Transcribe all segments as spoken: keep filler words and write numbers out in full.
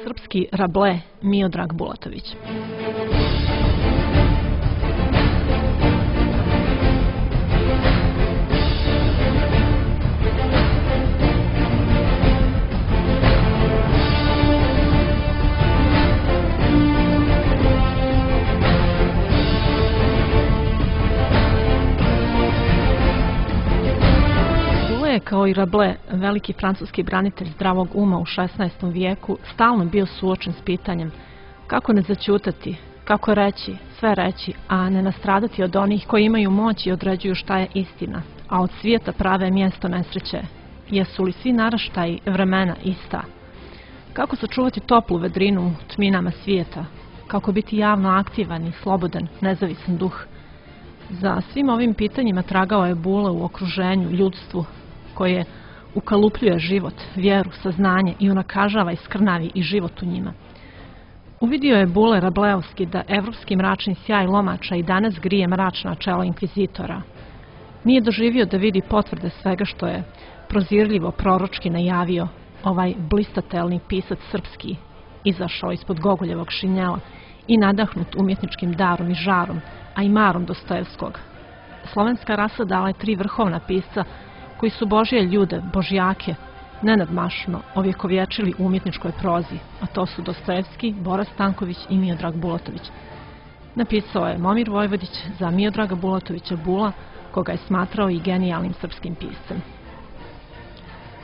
Srpski Rable Miodrag Bulatović. Kao i Rabelais, veliki francuski branitelj zdravog uma u šesnaestom vijeku, stalno bio suočen s pitanjem kako ne zaćutati, kako reći, sve reći, a ne nastradati od onih koji imaju moć i određuju šta je istina, a od svijeta prave mjesto nesreće. Jesu li svi naraštaji vremena ista? Kako sačuvati toplu vedrinu u tminama svijeta? Kako biti javno aktivan i slobodan, nezavisan duh? Za svim ovim pitanjima tragao je Bule u okruženju, ljudstvu, koje ukalupljuje život, vjeru, saznanje i unakažava i skrnavi i život u njima. Uvidio je Bule Rabeleovski da evropski mračni sjaj lomača i danas grije mračna čela inkvizitora. Nije doživio da vidi potvrde svega što je prozirljivo proročki najavio ovaj blistatelni pisac srpski, izašao ispod Gogoljevog šinjela i nadahnut umjetničkim darom i žarom, a i marom Dostojevskog. Slovenska rasa dala je tri vrhovna pisca koji su Božje ljude, božjake, nenadmašno ovjekovječili u umjetničkoj prozi, a to su Dostojevski, Bora Stanković i Miodrag Bulatović. Napisao je Momir Vojvodić za Miodraga Bulatovića Bula, koga je smatrao i genijalnim srpskim piscem.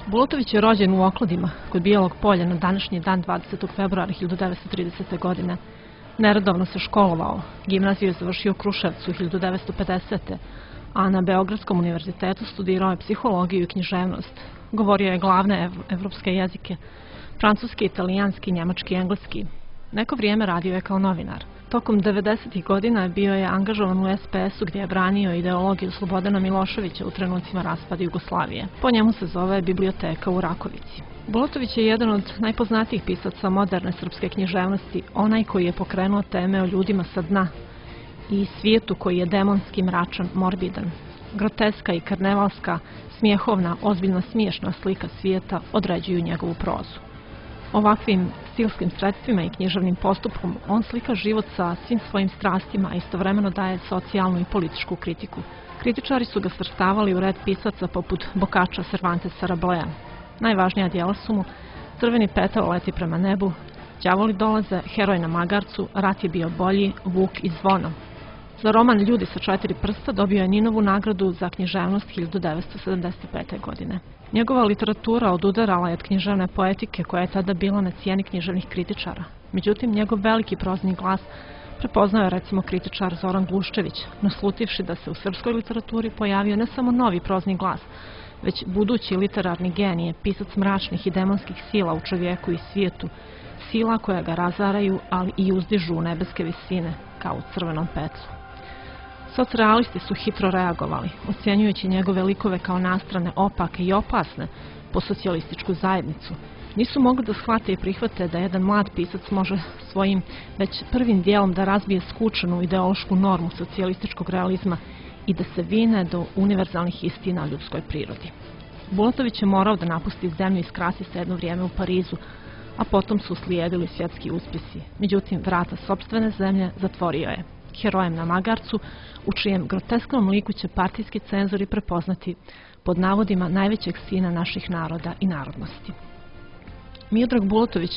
Bulatović je rođen u Okladima, kod Bijelog polja na današnji dan dvadesetog februara hiljadu devetsto tridesete. godine. Neredovno se školovao, gimnaziju je završio u Kruševcu hiljadu devetsto pedesete. a na Beogradskom univerzitetu studirao je psihologiju i književnost. Govorio je glavne evropske jezike, francuski, italijanski, njemački i engleski. Neko vrijeme radio je kao novinar. Tokom devedesetih godina bio je angažovan u es pe es u gdje je branio ideologiju Slobodana Miloševića u trenucima raspada Jugoslavije. Po njemu se zove Biblioteka u Rakovici. Bulatović je jedan od najpoznatijih pisaca moderne srpske književnosti, onaj koji je pokrenuo teme o ljudima sa dna i svijetu koji je demonski, mračan, morbidan. Groteska i karnevalska, smijehovna, ozbiljno smiješna slika svijeta određuju njegovu prozu. Ovakvim stilskim sredstvima i književnim postupkom on slika život sa svim svojim strastima, a istovremeno daje socijalnu i političku kritiku. Kritičari su ga svrstavali u red pisaca poput Boccaccia, Cervantesa, Rabelea. Najvažnija djela su mu Crveni petal leti prema nebu, Đavoli dolaze, Heroj na magarcu, Rat je bio bolji, Vuk i Zvono. Za roman Ljudi sa četiri prsta dobio je Ninovu nagradu za književnost hiljadu devetsto sedamdeset pete. godine. Njegova literatura odudarala je od književne poetike koja je tada bila na cijeni književnih kritičara. Međutim, njegov veliki prozni glas prepoznao je recimo kritičar Zoran Gluščević, naslutivši da se u srpskoj literaturi pojavio ne samo novi prozni glas, već budući literarni genije, pisac mračnih i demonskih sila u čovjeku i svijetu, sila koja ga razaraju, ali i uzdižu u nebeske visine, kao u Crvenom petlu. Socrealisti su hitro reagovali, ocjenjujući njegove likove kao nastrane, opake i opasne po socijalističku zajednicu. Nisu mogli da shvate i prihvate da jedan mlad pisac može svojim već prvim dijelom da razbije skučenu ideološku normu socijalističkog realizma i da se vine do univerzalnih istina o ljudskoj prirodi. Bulatović je morao da napusti zemlju i skrasi se jedno vrijeme u Parizu, a potom su slijedili svjetski uspjesi. Međutim, vrata sopstvene zemlje zatvorio je. Herojem na magarcu, u čijem grotesknom liku će partijski cenzori prepoznati pod navodima najvećeg sina naših naroda i narodnosti. Miodrag Bulatović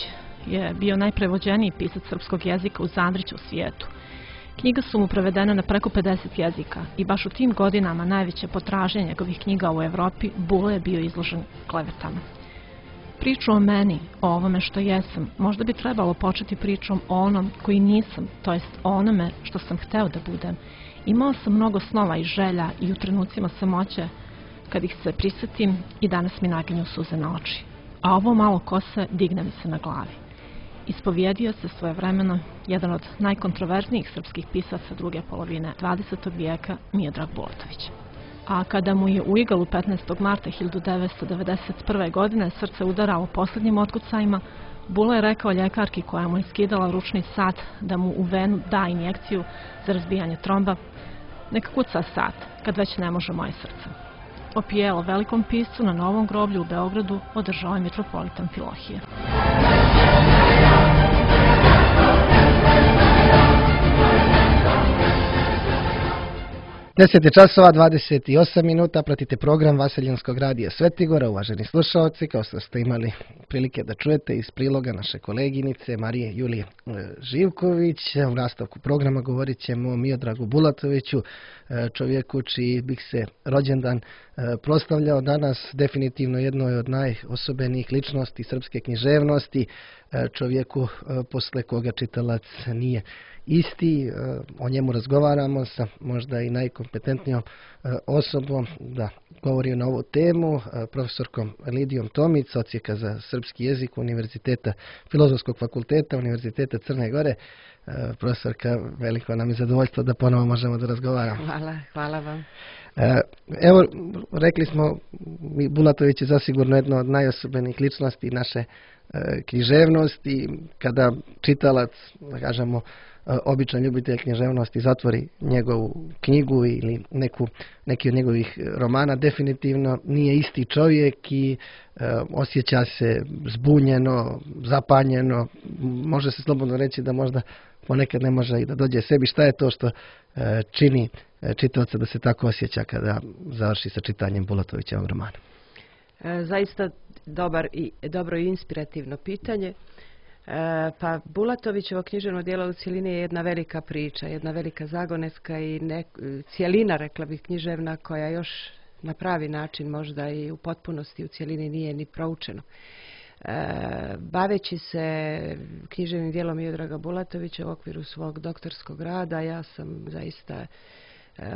je bio najprevođeniji pisac srpskog jezika uz Andrića u svijetu. Knjiga su mu prevedene na preko pedeset jezika i baš u tim godinama najveće potražnje njegovih knjiga u Evropi Bule je bio izložen klevetama. Priču o meni, o ovome što jesam, možda bi trebalo početi pričom o onom koji nisam, to jest o onome što sam hteo da budem. Imao sam mnogo snova i želja i u trenucima samoće, kad ih se prisjetim i danas mi naginju suze na oči. A ovo malo kose digne mi se na glavi. Ispovjedio se svojevremeno jedan od najkontroverznijih srpskih pisaca druge polovine dvadesetog vijeka, Miodrag Bulatović. A kada mu je u Igalu petnaestog marta hiljadu devetsto devedeset prve. godine srce udaralo posljednjim otkucajima, Bule je rekao ljekarki koja mu je skidala ručni sat da mu u venu da injekciju za razbijanje tromba: neka kuca sat, kad već ne može moje srce. opijelo velikom piscu na Novom groblju u Beogradu održao je mitropolitan Filohije. deset je časova, dvadeset osam minuta, pratite program Vaseljenskog radija Svetigora. Uvaženi slušalci, kao što ste imali prilike da čujete iz priloga naše koleginice Marije Julije Živković, u nastavku programa govorit ćemo o Miodragu Bulatoviću, čovjeku čiji bih se rođendan proslavljao danas, definitivno jednoj od najosobenijih ličnosti srpske književnosti, čovjeku posle koga čitalac nije isti. O njemu razgovaramo sa možda i najkompetentnijom osobom da govori na ovu temu, profesorkom Lidijom Tomić, odsjeka za srpski jezik Univerziteta, Filozofskog fakulteta Univerziteta Crne Gore. Profesorka, veliko nam je zadovoljstvo da ponovo možemo da razgovaramo. Hvala, hvala vam. Evo, rekli smo, Bulatović je zasigurno jedna od najosobenijih ličnosti naše književnosti. Kada čitalac, da kažemo, običan ljubitelj književnosti zatvori njegovu knjigu ili neku, neki od njegovih romana, definitivno nije isti čovjek i e, osjeća se zbunjeno, zapanjeno. Može se slobodno reći da možda ponekad ne može i da dođe sebi. Šta je to što e, čini e, čitaoca da se tako osjeća kada završi sa čitanjem Bulatovićevog romana? E, zaista dobar i, dobro i inspirativno pitanje. E, pa Bulatovićevo književno djelo u cjelini je jedna velika priča, jedna velika zagonetka i ne, cjelina, rekla bih, književna koja još na pravi način možda i u potpunosti u cjelini nije ni proučeno. E, baveći se književnim djelom Miodraga Bulatovića u okviru svog doktorskog rada, ja sam zaista e,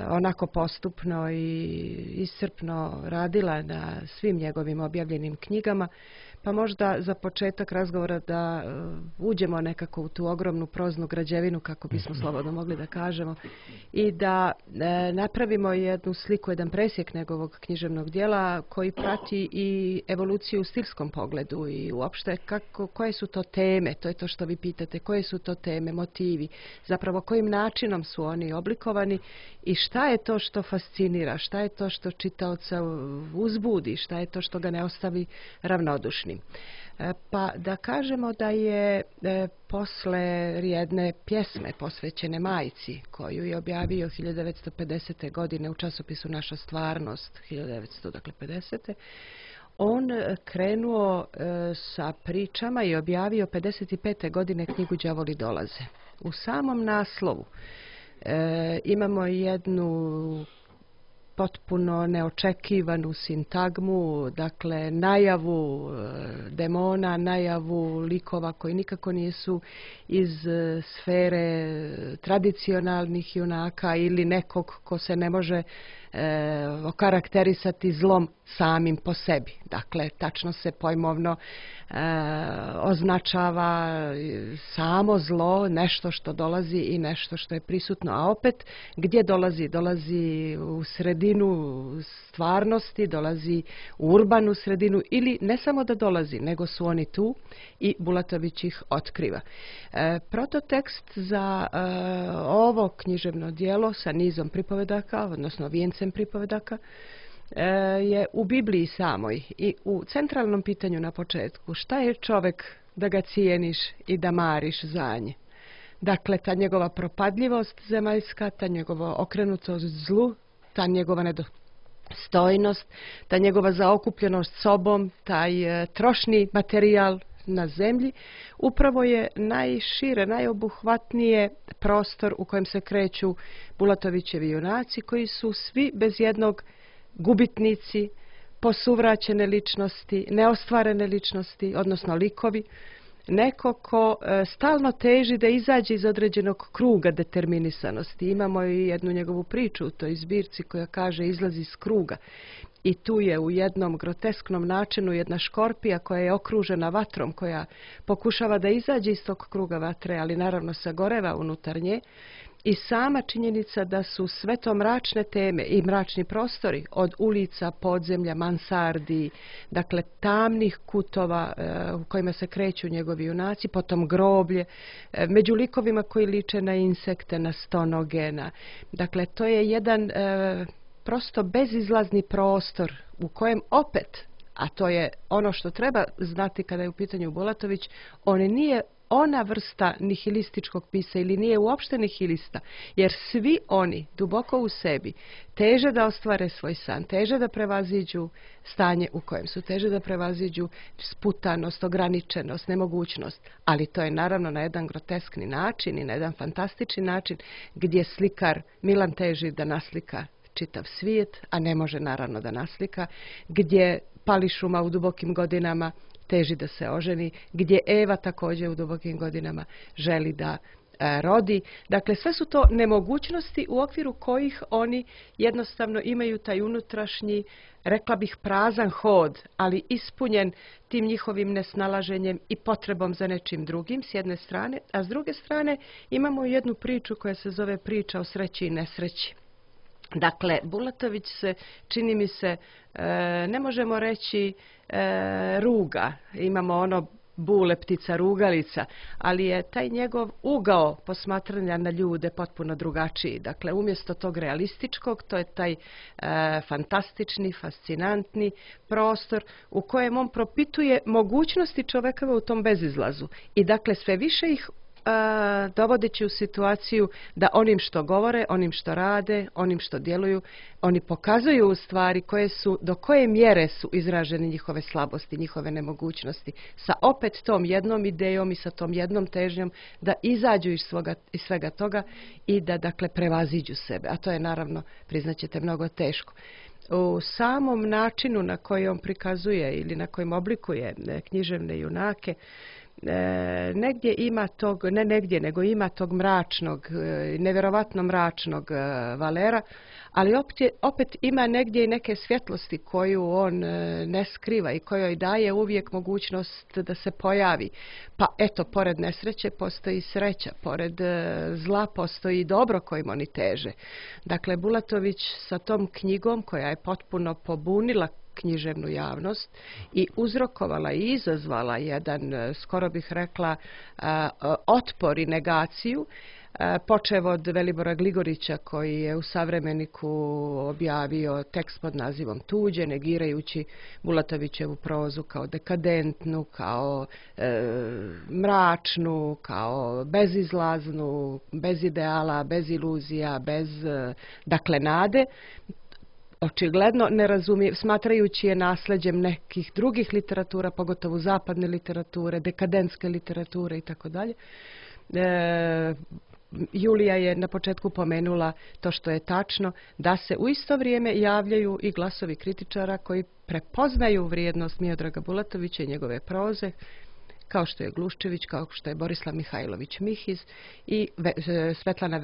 onako postupno i iscrpno radila na svim njegovim objavljenim knjigama. Pa možda za početak razgovora da uh, uđemo nekako u tu ogromnu proznu građevinu, kako bismo slobodno mogli da kažemo, i da e, napravimo jednu sliku, jedan presjek njegovog književnog djela koji prati i evoluciju u stilskom pogledu i uopšte kako, koje su to teme, to je to što vi pitate, koje su to teme, motivi, zapravo kojim načinom su oni oblikovani i šta je to što fascinira, šta je to što čitaoca uzbudi, šta je to što ga ne ostavi ravnodušnim. Pa da kažemo da je e, posle jedne pjesme posvećene majci, koju je objavio hiljadu devetsto pedesete. godine u časopisu Naša stvarnost, hiljadu devetsto pedesete. On krenuo e, sa pričama i objavio pedeset pete. godine knjigu Đavoli dolaze. U samom naslovu e, imamo jednu potpuno neočekivanu sintagmu, dakle najavu demona, najavu likova koji nikako nisu iz sfere tradicionalnih junaka ili nekog ko se ne može e, okarakterisati zlom samim po sebi. Dakle, tačno se pojmovno e, označava samo zlo, nešto što dolazi i nešto što je prisutno. A opet, gdje dolazi? Dolazi u sredinu stvarnosti, dolazi u urbanu sredinu ili ne samo da dolazi, nego su oni tu i Bulatović ih otkriva. E, prototekst za e, ovo književno djelo sa nizom pripovedaka, odnosno vijencem pripovedaka, je u Bibliji samoj i u centralnom pitanju na početku. Šta je čovjek da ga cijeniš i da mariš za nje? Dakle, ta njegova propadljivost zemaljska, ta njegova okrenutost zlu, ta njegova nedostojnost, ta njegova zaokupljenost sobom, taj e, trošni materijal na zemlji, upravo je najšire, najobuhvatnije prostor u kojem se kreću Bulatovićevi junaci, koji su svi bez jednog gubitnici, posuvraćene ličnosti, neostvarene ličnosti, odnosno likovi, neko ko e, stalno teži da izađe iz određenog kruga determinisanosti. Imamo i jednu njegovu priču u toj zbirci koja kaže izlazi iz kruga. I tu je u jednom grotesknom načinu jedna škorpija koja je okružena vatrom, koja pokušava da izađe iz tog kruga vatre, ali naravno sagoreva unutar nje. I sama činjenica da su sve to mračne teme i mračni prostori od ulica, podzemlja, mansardi, dakle tamnih kutova e, u kojima se kreću njegovi junaci, potom groblje, e, među likovima koji liče na insekte, na stonoge. Na, dakle, to je jedan e, prosto bezizlazni prostor u kojem opet, a to je ono što treba znati kada je u pitanju Bulatović, on nije ona vrsta nihilističkog pisa ili nije uopšte nihilista, jer svi oni duboko u sebi teže da ostvare svoj san, teže da prevaziđu stanje u kojem su, teže da prevaziđu sputanost, ograničenost, nemogućnost, ali to je naravno na jedan groteskni način i na jedan fantastični način gdje slikar Milan teži da naslika čitav svijet, a ne može naravno da naslika, gdje Pališuma u dubokim godinama teži da se oženi, gdje Eva također u dubokim godinama želi da e, rodi. Dakle, sve su to nemogućnosti u okviru kojih oni jednostavno imaju taj unutrašnji, rekla bih, prazan hod, ali ispunjen tim njihovim nesnalaženjem i potrebom za nečim drugim s jedne strane, a s druge strane imamo jednu priču koja se zove priča o sreći i nesreći. Dakle, Bulatović se, čini mi se, e, ne možemo reći e, ruga, imamo ono Bule, ptica rugalica, ali je taj njegov ugao posmatranja na ljude potpuno drugačiji. Dakle, umjesto tog realističkog, to je taj e, fantastični, fascinantni prostor u kojem on propituje mogućnosti čovekova u tom bezizlazu. I dakle, sve više ih A, dovodeći u situaciju da onim što govore, onim što rade, onim što djeluju, oni pokazuju u stvari koje su, do koje mjere su izražene njihove slabosti, njihove nemogućnosti, sa opet tom jednom idejom i sa tom jednom težnjom da izađu iz, svoga, iz svega toga i da dakle prevaziđu sebe. A to je naravno, priznaćete, mnogo teško. U samom načinu na koji on prikazuje ili na kojem oblikuje književne junake, E, negdje ima tog, ne negdje, nego ima tog mračnog, e, nevjerovatno mračnog e, Valera, ali opet, opet ima negdje i neke svjetlosti koju on e, ne skriva i kojoj daje uvijek mogućnost da se pojavi. Pa eto, pored nesreće postoji sreća, pored e, zla postoji dobro kojim oni teže. Dakle, Bulatović sa tom knjigom koja je potpuno pobunila književnu javnost i uzrokovala i izazvala jedan, skoro bih rekla, otpor i negaciju, počev od Velibora Gligorića koji je u Savremeniku objavio tekst pod nazivom Tuđe, negirajući Bulatovićevu prozu kao dekadentnu, kao e, mračnu, kao bezizlaznu, bez ideala, bez iluzija, bez, dakle, nade. Očigledno ne razumije, smatrajući je nasleđem nekih drugih literatura, pogotovo zapadne literature, dekadentske literature i tako dalje. Julija je na početku pomenula to što je tačno, da se u isto vrijeme javljaju i glasovi kritičara koji prepoznaju vrijednost Miodraga Bulatovića i njegove proze, kao što je Gluščević, kao što je Borislav Mihajlović Mihiz i Svetlana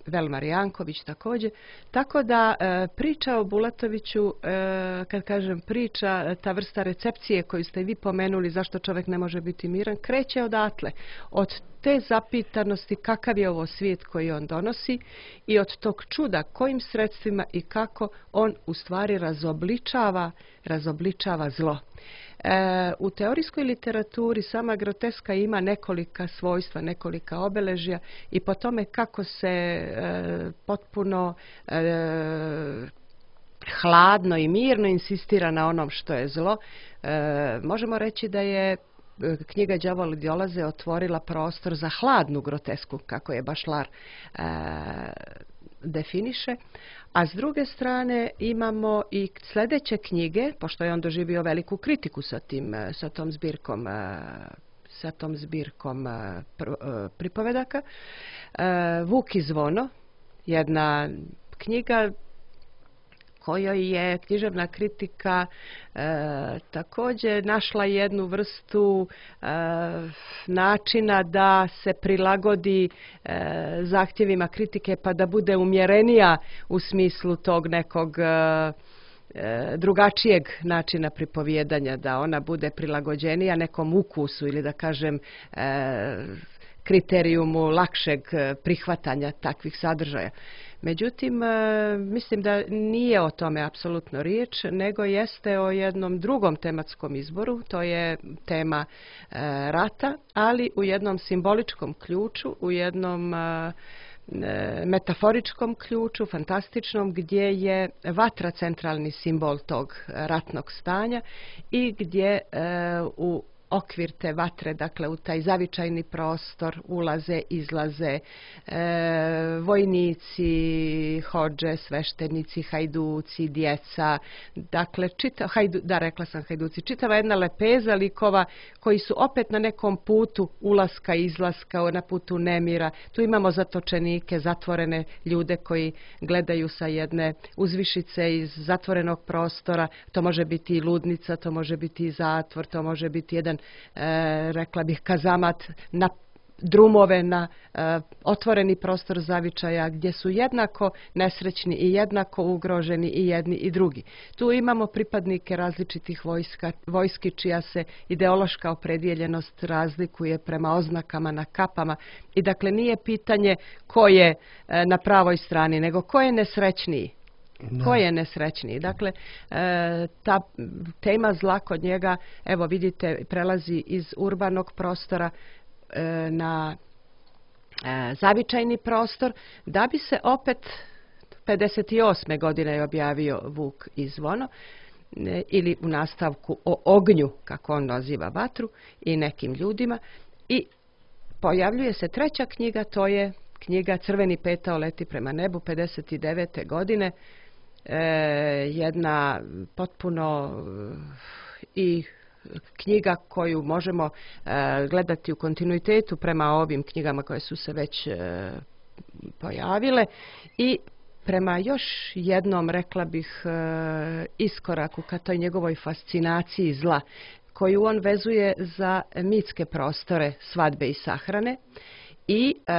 Velmar Janković također. Tako da e, priča o Bulatoviću, e, kad kažem priča, ta vrsta recepcije koju ste vi pomenuli, zašto čovjek ne može biti miran, kreće odatle. Od te zapitanosti kakav je ovo svijet koji on donosi i od tog čuda kojim sredstvima i kako on u stvari razobličava, razobličava zlo. E, u teorijskoj literaturi sama groteska ima nekolika svojstva, nekolika obeležja i po tome kako se e, potpuno e, hladno i mirno insistira na onom što je zlo, e, možemo reći da je knjiga Đavoli dolaze otvorila prostor za hladnu grotesku, kako je Bašlar e, definiše. A s druge strane imamo i sljedeće knjige, pošto je on doživio veliku kritiku sa, tim, sa tom zbirkom, sa tom zbirkom pripovedaka. Vuk i zvono, jedna knjiga kojoj je književna kritika e, također našla jednu vrstu e, načina da se prilagodi e, zahtjevima kritike pa da bude umjerenija u smislu tog nekog e, e, drugačijeg načina pripovijedanja, da ona bude prilagođenija nekom ukusu ili da kažem e, kriterijumu lakšeg prihvatanja takvih sadržaja. Međutim, mislim da nije o tome apsolutno riječ, nego jeste o jednom drugom tematskom izboru, to je tema rata, ali u jednom simboličkom ključu, u jednom metaforičkom ključu, fantastičnom, gdje je vatra centralni simbol tog ratnog stanja i gdje u okvir te vatre, dakle u taj zavičajni prostor ulaze, izlaze e, vojnici, hodže, sveštenici, hajduci, djeca, dakle, čita, hajdu, da rekla sam hajduci, čitava jedna lepeza likova koji su opet na nekom putu ulaska, izlaska, na putu nemira. Tu imamo zatočenike, zatvorene ljude koji gledaju sa jedne uzvišice iz zatvorenog prostora. To može biti i ludnica, to može biti i zatvor, to može biti jedan E, rekla bih kazamat na drumove, na e, otvoreni prostor zavičaja gdje su jednako nesrećni i jednako ugroženi i jedni i drugi. Tu imamo pripadnike različitih vojska, vojski čija se ideološka opredjeljenost razlikuje prema oznakama na kapama i dakle nije pitanje ko je e, na pravoj strani, nego ko je nesrećniji. Da. Ko je nesrećniji? Dakle, e, ta tema zla kod njega, evo vidite, prelazi iz urbanog prostora e, na e, zavičajni prostor, da bi se opet pedeset osme godine je objavio Vuk i zvono, e, ili u nastavku o ognju, kako on naziva vatru, i nekim ljudima. I pojavljuje se treća knjiga, to je knjiga Crveni petao leti prema nebu, pedeset devete godine. E, jedna potpuno i knjiga koju možemo e, gledati u kontinuitetu prema ovim knjigama koje su se već e, pojavile i prema još jednom, rekla bih, e, iskoraku ka toj njegovoj fascinaciji zla koju on vezuje za mitske prostore svadbe i sahrane i e,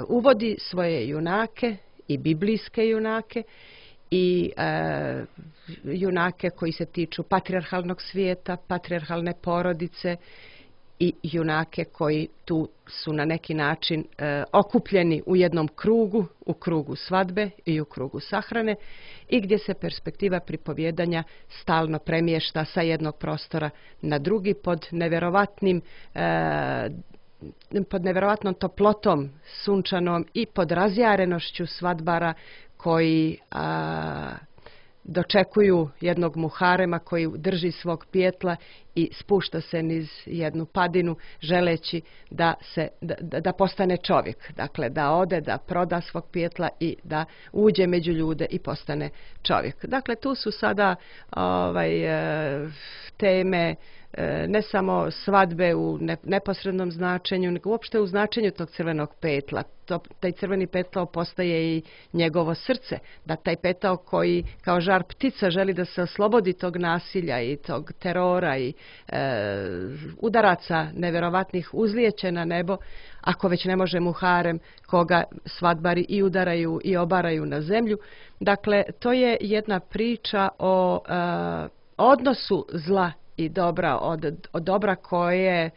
uvodi svoje junake i biblijske junake i e, junake koji se tiču patrijarhalnog svijeta, patrijarhalne porodice i junake koji tu su na neki način e, okupljeni u jednom krugu, u krugu svadbe i u krugu sahrane i gdje se perspektiva pripovjedanja stalno premješta sa jednog prostora na drugi pod nevjerovatnim e, pod nevjerovatnom toplotom sunčanom i pod razjarenošću svadbara koji a, dočekuju jednog muharema koji drži svog pijetla i spušta se niz jednu padinu želeći da, se, da, da postane čovjek. Dakle, da ode, da proda svog pijetla i da uđe među ljude i postane čovjek. Dakle, tu su sada ovaj, teme ne samo svadbe u neposrednom značenju, nego uopšte u značenju tog crvenog petla. To, taj crveni petao postaje i njegovo srce, da taj petao koji kao žar ptica želi da se oslobodi tog nasilja i tog terora i e, udaraca nevjerovatnih uzlijeće na nebo, ako već ne može muharem koga svadbari i udaraju i obaraju na zemlju. Dakle, to je jedna priča o e, odnosu zla i dobra, od, od dobra koje e,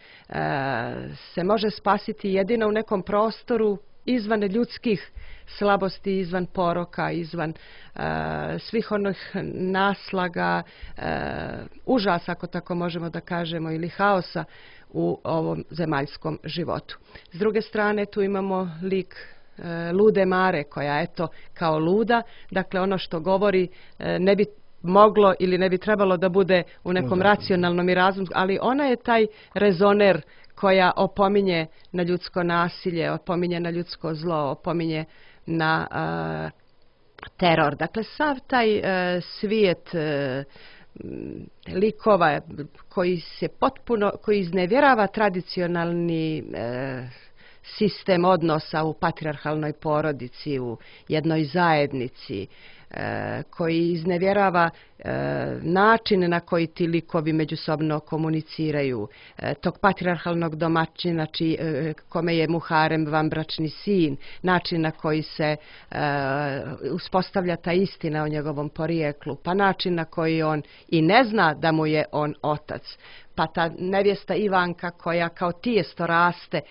se može spasiti jedino u nekom prostoru izvan ljudskih slabosti, izvan poroka, izvan e, svih onih naslaga, e, užasa, ako tako možemo da kažemo, ili haosa u ovom zemaljskom životu. S druge strane, tu imamo lik e, lude Mare, koja eto kao luda, dakle ono što govori e, ne bi moglo ili ne bi trebalo da bude u nekom Možda. racionalnom i razumskom, ali ona je taj rezoner koja opominje na ljudsko nasilje, opominje na ljudsko zlo, opominje na uh, teror. Dakle, sav taj uh, svijet uh, likova koji se potpuno, koji iznevjerava tradicionalni uh, sistem odnosa u patrijarhalnoj porodici, u jednoj zajednici, e, koji iznevjerava e, način na koji ti likovi međusobno komuniciraju, e, tog patrijarhalnog domaćina či, e, kome je muharem vanbračni sin, način na koji se e, uspostavlja ta istina o njegovom porijeklu, pa način na koji on i ne zna da mu je on otac, pa ta nevjesta Ivanka koja kao tijesto raste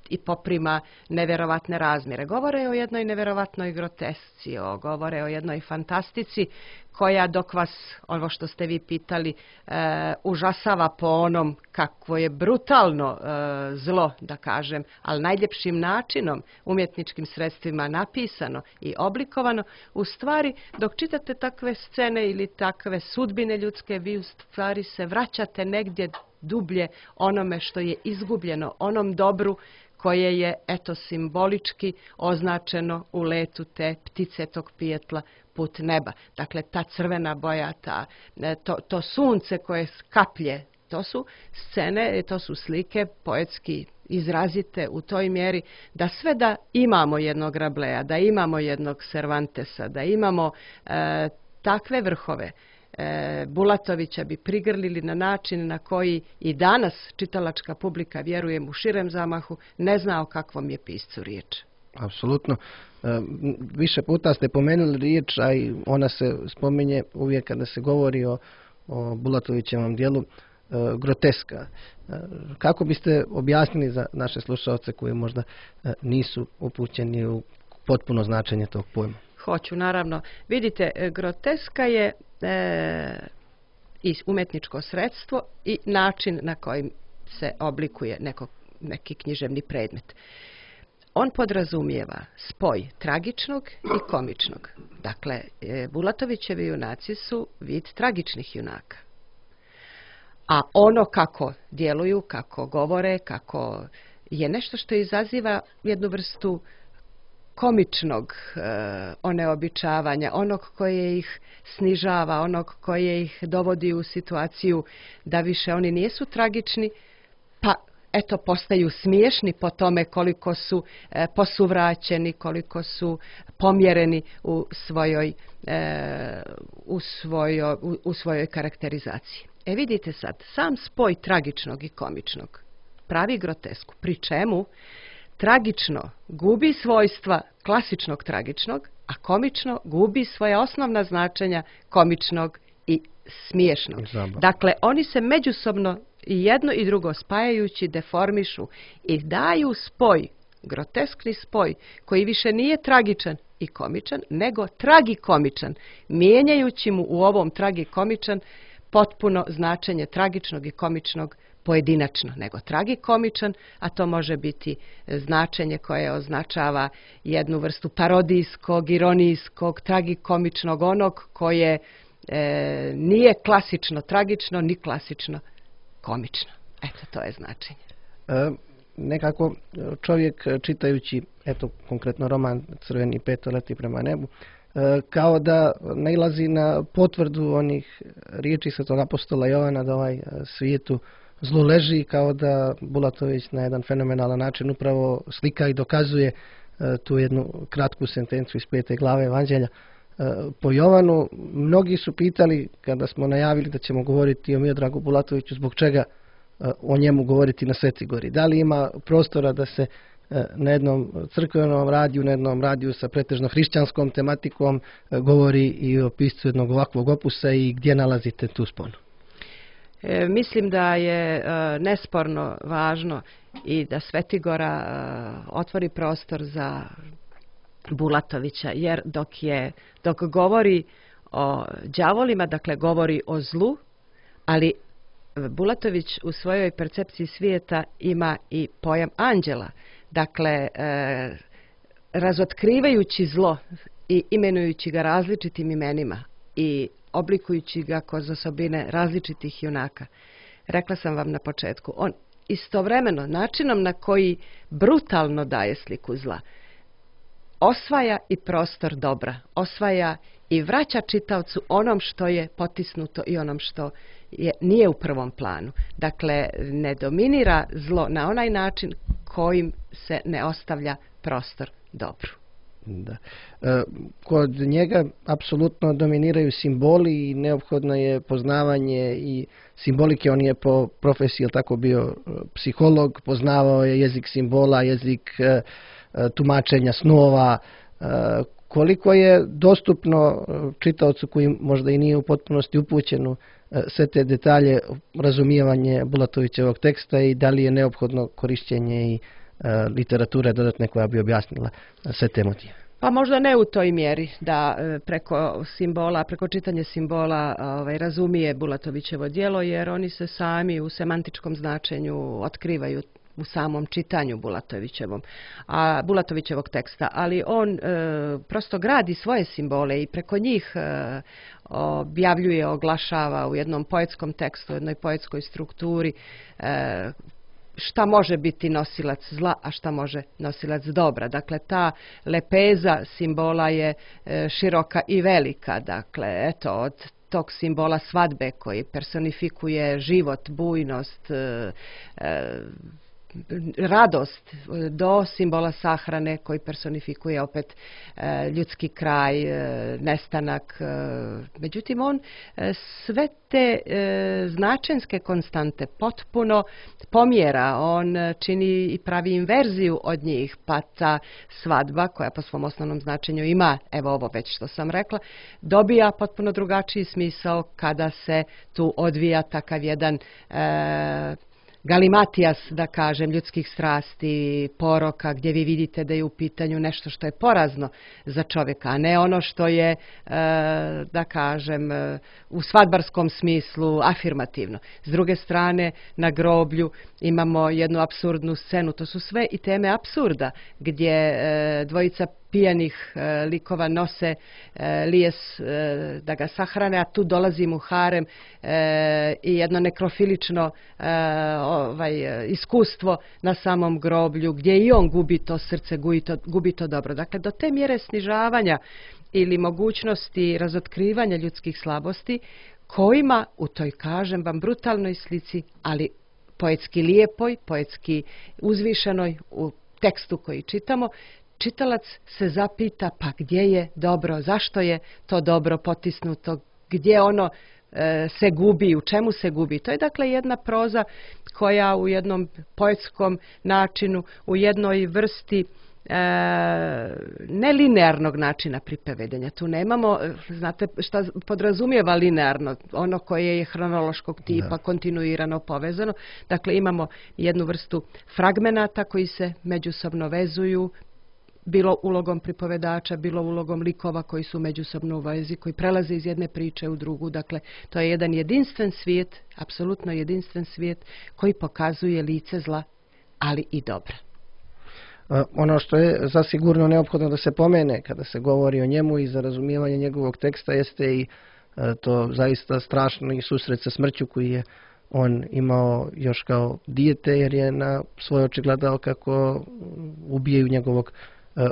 i poprima nevjerovatne razmjere. Govore o jednoj nevjerovatnoj grotesci, o, govore o jednoj fantastici koja dok vas, ovo što ste vi pitali, e, užasava po onom kakvo je brutalno e, zlo, da kažem, ali najljepšim načinom, umjetničkim sredstvima napisano i oblikovano, u stvari, dok čitate takve scene ili takve sudbine ljudske, vi u stvari se vraćate negdje dublje onome što je izgubljeno, onom dobru koje je, eto, simbolički označeno u letu te ptice, tog pijetla put neba. Dakle, ta crvena boja, ta, to, to sunce koje skaplje, to su scene, to su slike poetski izrazite u toj mjeri da sve da imamo jednog Rabelesa, da imamo jednog Cervantesa, da imamo e, takve vrhove, e, Bulatovića bi prigrlili na način na koji i danas čitalačka publika, vjerujem u širem zamahu, ne zna o kakvom je piscu riječ. Apsolutno. Više puta ste pomenuli riječ, a i ona se spominje uvijek kada se govori o, o Bulatovićevom dijelu, groteska. Kako biste objasnili za naše slušalce koji možda nisu upućeni u potpuno značenje tog pojma? Hoću, naravno. Vidite, groteska je e, i umjetničko sredstvo i način na koji se oblikuje neko, neki književni predmet. On podrazumijeva spoj tragičnog i komičnog. Dakle, Bulatovićevi junaci su vid tragičnih junaka. A ono kako djeluju, kako govore, kako je nešto što izaziva jednu vrstu komičnog e, oneobičavanja, onog koje ih snižava, onog koje ih dovodi u situaciju da više oni nisu tragični, pa eto, postaju smiješni po tome koliko su e, posuvraćeni, koliko su pomjereni u svojoj, e, u svojoj, u, u svojoj karakterizaciji. E vidite sad, sam spoj tragičnog i komičnog pravi grotesku, pri čemu tragično gubi svojstva klasičnog tragičnog, a komično gubi svoja osnovna značenja komičnog i smiješnog. Dakle, oni se međusobno i jedno i drugo spajajući deformišu i daju spoj, groteskni spoj, koji više nije tragičan i komičan, nego tragikomičan, mijenjajući mu u ovom tragikomičan potpuno značenje tragičnog i komičnog pojedinačno, nego tragikomičan, a to može biti značenje koje označava jednu vrstu parodijskog, ironijskog, tragikomičnog, onog koje e, nije klasično tragično, ni klasično komično. Eto, to je značenje. E, nekako čovjek čitajući, eto, konkretno roman Crveni peto leti prema nebu, e, kao da nailazi na potvrdu onih riječi svetog apostola Jovana da ovaj svijetu zlu leži, kao da Bulatović na jedan fenomenalan način upravo slika i dokazuje e, tu jednu kratku sentenciju iz pete glave Evanđelja e, po Jovanu. Mnogi su pitali, kada smo najavili da ćemo govoriti o Miodragu Bulatoviću, zbog čega e, o njemu govoriti na Svetoj Gori. Da li ima prostora da se e, na jednom crkvenom radiju, na jednom radiju sa pretežno hrišćanskom tematikom e, govori i o piscu jednog ovakvog opusa i gdje nalazite tu sponu? E, mislim da je e, nesporno važno i da Svetigora e, otvori prostor za Bulatovića, jer dok je dok govori o đavolima, dakle govori o zlu, ali Bulatović u svojoj percepciji svijeta ima i pojam anđela. Dakle, e, razotkrivajući zlo i imenujući ga različitim imenima i oblikujući ga kroz osobine različitih junaka. Rekla sam vam na početku, on istovremeno načinom na koji brutalno daje sliku zla, osvaja i prostor dobra, osvaja i vraća čitaocu onom što je potisnuto i onom što je, nije u prvom planu. Dakle, ne dominira zlo na onaj način kojim se ne ostavlja prostor dobru. Da. E, kod njega apsolutno dominiraju simboli i neophodno je poznavanje i simbolike. On je po profesiji tako bio psiholog, poznavao je jezik simbola, jezik e, tumačenja snova. E, koliko je dostupno čitaocu koji možda i nije u potpunosti upućen u e, sve te detalje razumijevanje Bulatovićevog teksta i da li je neophodno korišćenje i literature dodatne koja bi objasnila sve te motive? Pa možda ne u toj mjeri da preko simbola, preko čitanja simbola ovaj, razumije Bulatovićevo djelo, jer oni se sami u semantičkom značenju otkrivaju u samom čitanju Bulatovićevom, a Bulatovićevog teksta, ali on e, prosto gradi svoje simbole i preko njih e, objavljuje, oglašava u jednom poetskom tekstu, u jednoj poetskoj strukturi e, šta može biti nosilac zla, a šta može nosilac dobra. Dakle, ta lepeza simbola je e, široka i velika. Dakle, eto, od tog simbola svadbe koji personifikuje život, bujnost, e, e, radost, do simbola sahrane koji personifikuje opet e, ljudski kraj, e, nestanak. E, međutim, on e, sve te e, značenske konstante potpuno pomjera. On čini i pravi inverziju od njih, pa ta svadba, koja po svom osnovnom značenju ima, evo ovo već što sam rekla, dobija potpuno drugačiji smisao kada se tu odvija takav jedan e, galimatijas, da kažem, ljudskih strasti, poroka, gdje vi vidite da je u pitanju nešto što je porazno za čovjeka, a ne ono što je, e, da kažem, u svadbarskom smislu afirmativno. S druge strane, na groblju imamo jednu apsurdnu scenu, to su sve i teme apsurda, gdje e, dvojica pijanih e, likova nose e, lijes e, da ga sahrane, a tu dolazi mu harem e, i jedno nekrofilično e, ovaj, iskustvo na samom groblju, gdje i on gubi to srce, gubi to, gubi to dobro. Dakle, do te mjere snižavanja ili mogućnosti razotkrivanja ljudskih slabosti, kojima u toj, kažem vam, brutalnoj slici, ali poetski lijepoj, poetski uzvišenoj u tekstu koji čitamo, čitalac se zapita pa gdje je dobro, zašto je to dobro potisnuto, gdje ono e, se gubi, u čemu se gubi. To je dakle jedna proza koja u jednom poetskom načinu, u jednoj vrsti e, nelinearnog načina pripovedenja. Tu nemamo, znate šta podrazumijeva linearno, ono koje je hronološkog tipa, da, kontinuirano povezano. Dakle, imamo jednu vrstu fragmenata koji se međusobno vezuju, bilo ulogom pripovedača, bilo ulogom likova koji su međusobno u vezi, koji prelaze iz jedne priče u drugu. Dakle, to je jedan jedinstven svijet, apsolutno jedinstven svijet koji pokazuje lice zla, ali i dobra. Ono što je zasigurno neophodno da se pomene kada se govori o njemu i za razumijevanje njegovog teksta jeste i to zaista strašno i susret sa smrću koji je on imao još kao dijete, jer je na svoj oči gledao kako ubijaju njegovog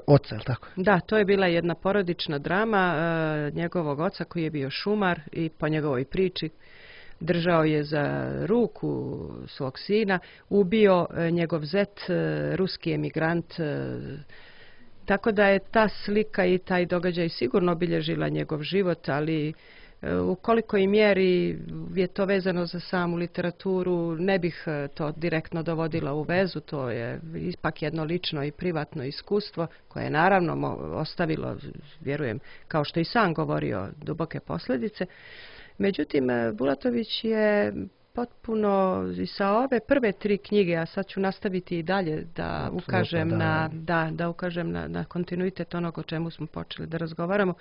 oca, je tako? Da, to je bila jedna porodična drama e, njegovog oca koji je bio šumar i po njegovoj priči držao je za ruku svog sina, ubio e, njegov zet, e, ruski emigrant, e, tako da je ta slika i taj događaj sigurno obilježila njegov život, ali u kolikoj mjeri je to vezano za samu literaturu, ne bih to direktno dovodila u vezu, to je ipak jedno lično i privatno iskustvo koje je naravno ostavilo, vjerujem, kao što i sam govorio, duboke posljedice. Međutim, Bulatović je potpuno i sa ove prve tri knjige, a sad ću nastaviti i dalje da Absolutno, ukažem da. na da, da ukažem na, na kontinuitet onog o čemu smo počeli da razgovaramo.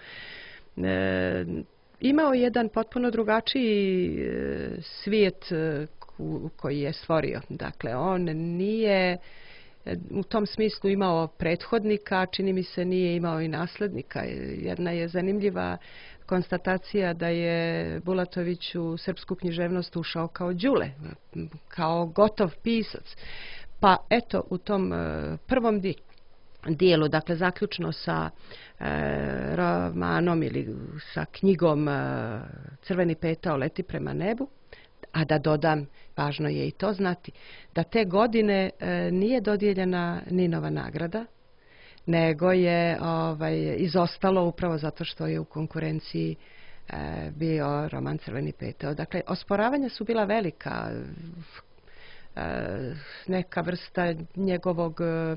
E, imao jedan potpuno drugačiji e, svijet e, koji je stvorio. Dakle, on nije e, u tom smislu imao prethodnika, čini mi se nije imao i nasljednika. Jedna je zanimljiva konstatacija da je Bulatović u srpsku književnost ušao kao Đule, kao gotov pisac. Pa eto, u tom e, prvom di dijelu, dakle zaključno sa e, romanom ili sa knjigom e, Crveni petao leti prema nebu, a da dodam, važno je i to znati, da te godine e, nije dodijeljena Ninova nagrada, nego je ovaj, izostalo upravo zato što je u konkurenciji e, bio roman Crveni petao. Dakle, osporavanja su bila velika, e, neka vrsta njegovog e,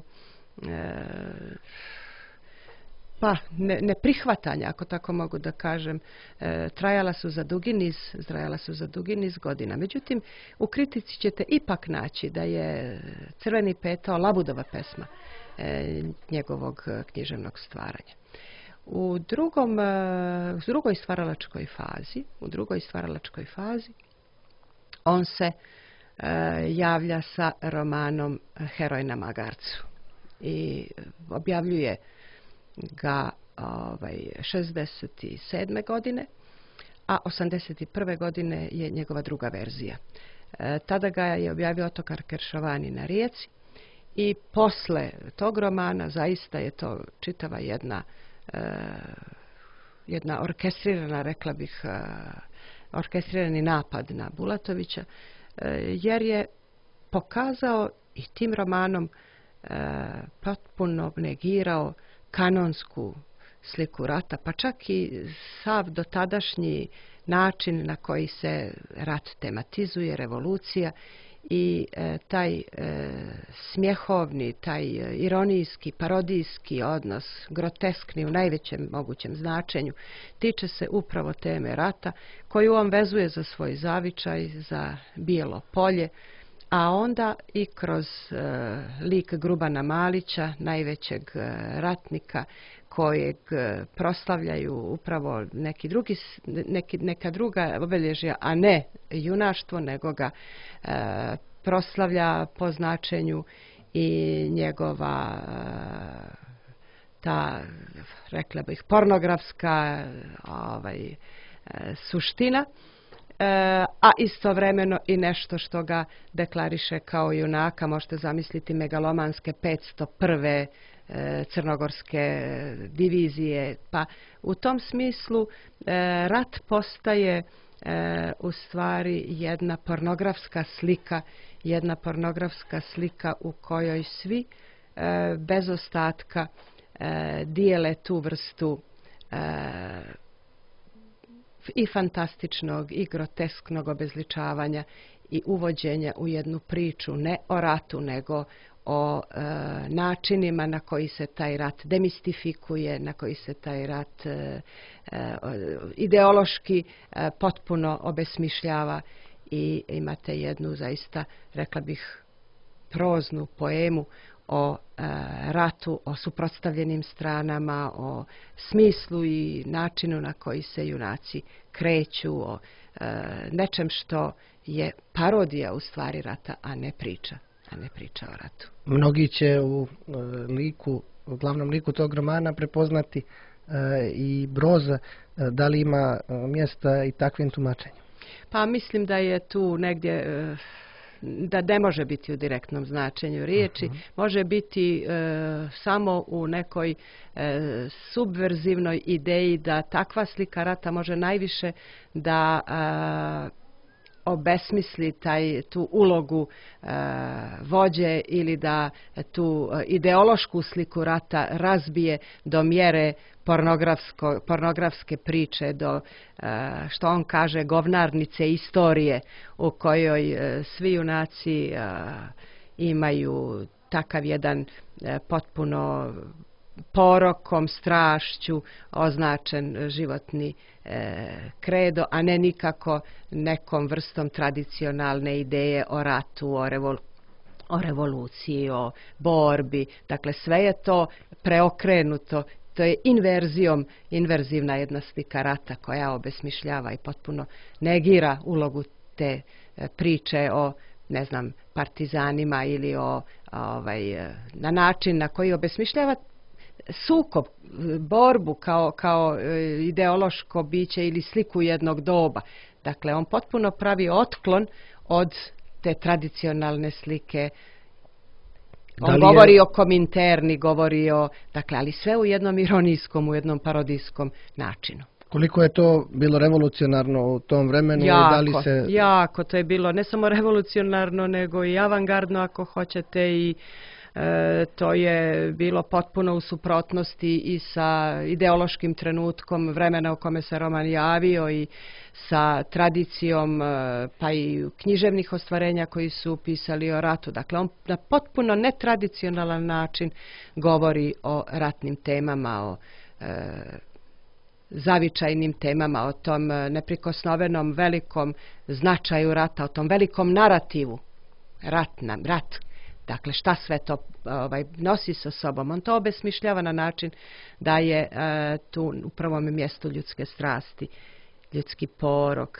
pa ne, neprihvatanja, ako tako mogu da kažem, e, trajala su za dugi niz, trajala su za dugi niz godina. Međutim, u kritici ćete ipak naći da je Crveni petao Labudova pesma, njegovog književnog stvaranja. U drugom, u drugoj stvaralačkoj fazi, u drugoj stvaralačkoj fazi on se javlja sa romanom Heroj na magarcu i objavljuje ga ovaj, šezdeset sedme godine, a osamdeset prve godine je njegova druga verzija. E, tada ga je objavio Otokar Keršovani na Rijeci i posle tog romana zaista je to čitava jedna, e, jedna orkestrirana, rekla bih, e, orkestrirani napad na Bulatovića, e, jer je pokazao i tim romanom e, potpuno negirao kanonsku sliku rata, pa čak i sav dotadašnji način na koji se rat tematizuje, revolucija i e, taj e, smjehovni, taj ironijski, parodijski odnos, groteskni u najvećem mogućem značenju, tiče se upravo teme rata koju on vezuje za svoj zavičaj, za Bijelo polje, a onda i kroz e, lik Grubana Malića, najvećeg e, ratnika, kojeg e, proslavljaju upravo neki drugi, neki, neka druga obilježja, a ne junaštvo, nego ga e, proslavlja po značenju i njegova e, ta, rekla bih, pornografska ovaj, e, suština. E, a istovremeno i nešto što ga deklariše kao junaka. Možete zamisliti megalomanske petsto prve e, crnogorske divizije. Pa u tom smislu e, rat postaje e, u stvari jedna pornografska slika, jedna pornografska slika u kojoj svi e, bez ostatka e, dijele tu vrstu e, i fantastičnog i grotesknog obezličavanja i uvođenja u jednu priču ne o ratu, nego o e, načinima na koji se taj rat demistifikuje, na koji se taj rat e, e, ideološki e, potpuno obesmišljava i imate jednu zaista, rekla bih, proznu poemu o e, ratu, o suprotstavljenim stranama, o smislu i načinu na koji se junaci kreću, o e, nečem što je parodija u stvari rata, a ne priča, a ne priča o ratu. Mnogi će u e, liku, u glavnom liku tog romana prepoznati e, i Broza. E, da li ima e, mjesta i takvim tumačenjem? Pa mislim da je tu negdje... E, da ne može biti u direktnom značenju riječi, uh-huh. može biti e, samo u nekoj e, subverzivnoj ideji da takva slika rata može najviše da e, obesmisli taj, tu ulogu e, vođe ili da tu ideološku sliku rata razbije do mjere pornografske priče, do e, što on kaže govnarnice istorije u kojoj e, svi junaci e, imaju takav jedan e, potpuno porokom, strašću označen životni e, kredo, a ne nikako nekom vrstom tradicionalne ideje o ratu, o, revol, o revoluciji, o borbi. Dakle, sve je to preokrenuto. To je inverzijom, inverzivna jedna slika rata koja obesmišljava i potpuno negira ulogu te e, priče o, ne znam, partizanima ili o, ovaj, na način na koji obesmišljava sukob, borbu kao, kao ideološko biće ili sliku jednog doba. Dakle, on potpuno pravi otklon od te tradicionalne slike. On je... govori o Kominterni, govori o... Dakle, ali sve u jednom ironijskom, u jednom parodijskom načinu. Koliko je to bilo revolucionarno u tom vremenu? Jako, da li se... jako. To je bilo ne samo revolucionarno, nego i avangardno, ako hoćete, i E, to je bilo potpuno u suprotnosti i sa ideološkim trenutkom vremena u kome se roman javio i sa tradicijom pa i književnih ostvarenja koji su pisali o ratu. Dakle, on na potpuno netradicionalan način govori o ratnim temama, o e, zavičajnim temama, o tom neprikosnovenom velikom značaju rata, o tom velikom narativu. Rat nam, rat Dakle, šta sve to ovaj, nosi sa sobom. On to obesmišljava na način da je e, tu u prvom mjestu ljudske strasti, ljudski porok,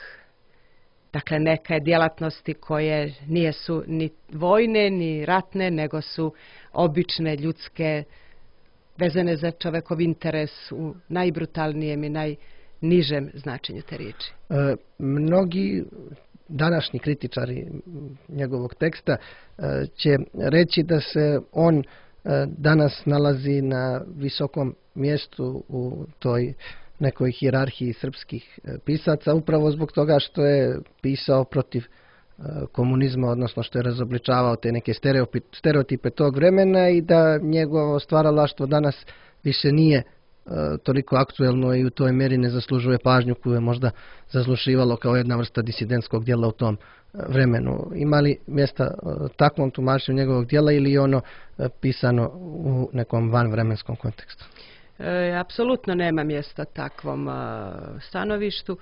dakle neke djelatnosti koje nije su ni vojne, ni ratne, nego su obične, ljudske, vezane za čovekov interes u najbrutalnijem i najnižem značenju te riječi. E, mnogi današnji kritičari njegovog teksta e, će reći da se on e, danas nalazi na visokom mjestu u toj nekoj hijerarhiji srpskih pisaca, upravo zbog toga što je pisao protiv komunizma, odnosno što je razobličavao te neke stereotipe tog vremena i da njegovo stvaralaštvo danas više nije toliko aktuelno i u toj mjeri ne zaslužuje pažnju koju je možda zaslušivalo kao jedna vrsta disidentskog djela u tom vremenu. Ima li mjesta takvom tumačenju njegovog djela ili je ono pisano u nekom vanvremenskom kontekstu? E, apsolutno nema mjesta takvom a, stanovištu,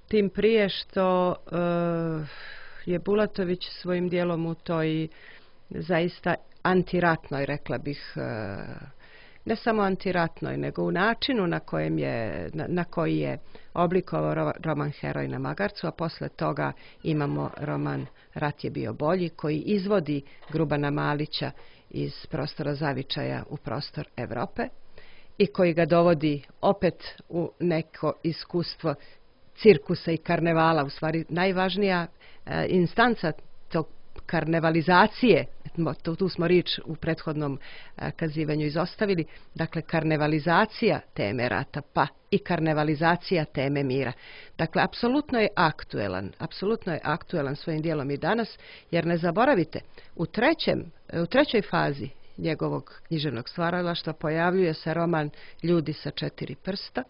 tim prije što e, je Bulatović svojim dijelom u toj zaista antiratnoj, rekla bih, e, ne samo antiratnoj, nego u načinu na, kojem je, na, na koji je oblikovao roman Heroj na magarcu, a posle toga imamo roman Rat je bio bolji, koji izvodi Grubana Malića iz prostora zavičaja u prostor Europe i koji ga dovodi opet u neko iskustvo cirkusa i karnevala, u stvari najvažnija e, instanca tog karnevalizacije, tu smo riječ u prethodnom e, kazivanju izostavili, dakle karnevalizacija teme rata, pa i karnevalizacija teme mira. Dakle, apsolutno je aktuelan, apsolutno je aktuelan svojim dijelom i danas, jer ne zaboravite, u, trećem, u trećoj fazi njegovog književnog stvaralaštva pojavljuje se roman Ljudi sa četiri prsta,